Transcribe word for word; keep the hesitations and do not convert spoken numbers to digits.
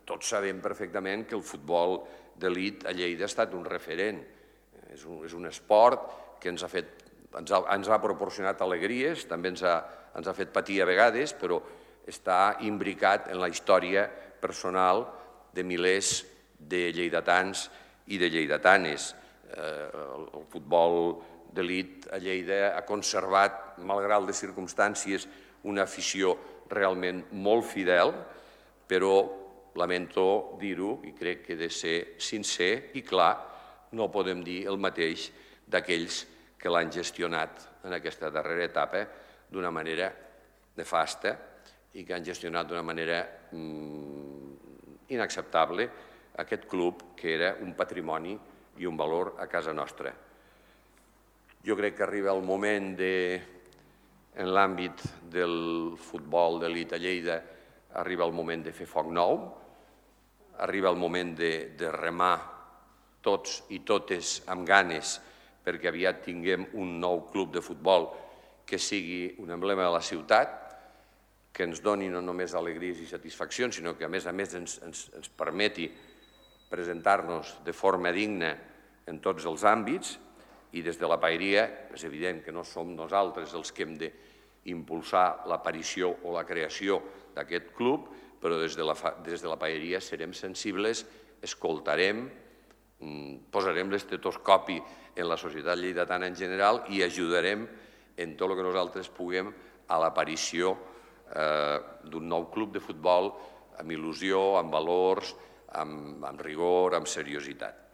tots sabem perfectament que el futbol d'elit a Lleida ha estat un referent. És un, és un esport que ens ha, fet, ens, ha, ens ha proporcionat alegries, també ens ha, ens ha fet patir a vegades, però està imbricat en la història personal de milers de lleidatans i de lleidatanes. Eh, el, el futbol d'elit a Lleida ha conservat, malgrat les circumstàncies, una afició realment molt fidel, però lamento dir-ho, i crec que he de ser sincer i clar, no podem dir el mateix d'aquells que l'han gestionat en aquesta darrera etapa d'una manera nefasta i que han gestionat d'una manera mm, inacceptable aquest club que era un patrimoni i un valor a casa nostra. Jo crec que arriba el moment de, en l'àmbit del futbol d'elit a Lleida, arriba el moment de fer foc nou, arriba el moment de, de remar tots i totes amb ganes perquè aviat tinguem un nou club de futbol que sigui un emblema de la ciutat, que ens doni no només alegries i satisfaccions, sinó que a més a més ens, ens, ens permeti presentar-nos de forma digna en tots els àmbits, i des de la paeria és evident que no som nosaltres els que hem d'impulsar l'aparició o la creació d'aquest club, però des de la, des de la paeria serem sensibles, escoltarem, posarem l'estetoscopi en la societat lleidatana en general i ajudarem en tot el que nosaltres puguem a l'aparició eh, d'un nou club de futbol amb il·lusió, amb valors, amb, amb rigor, amb seriositat.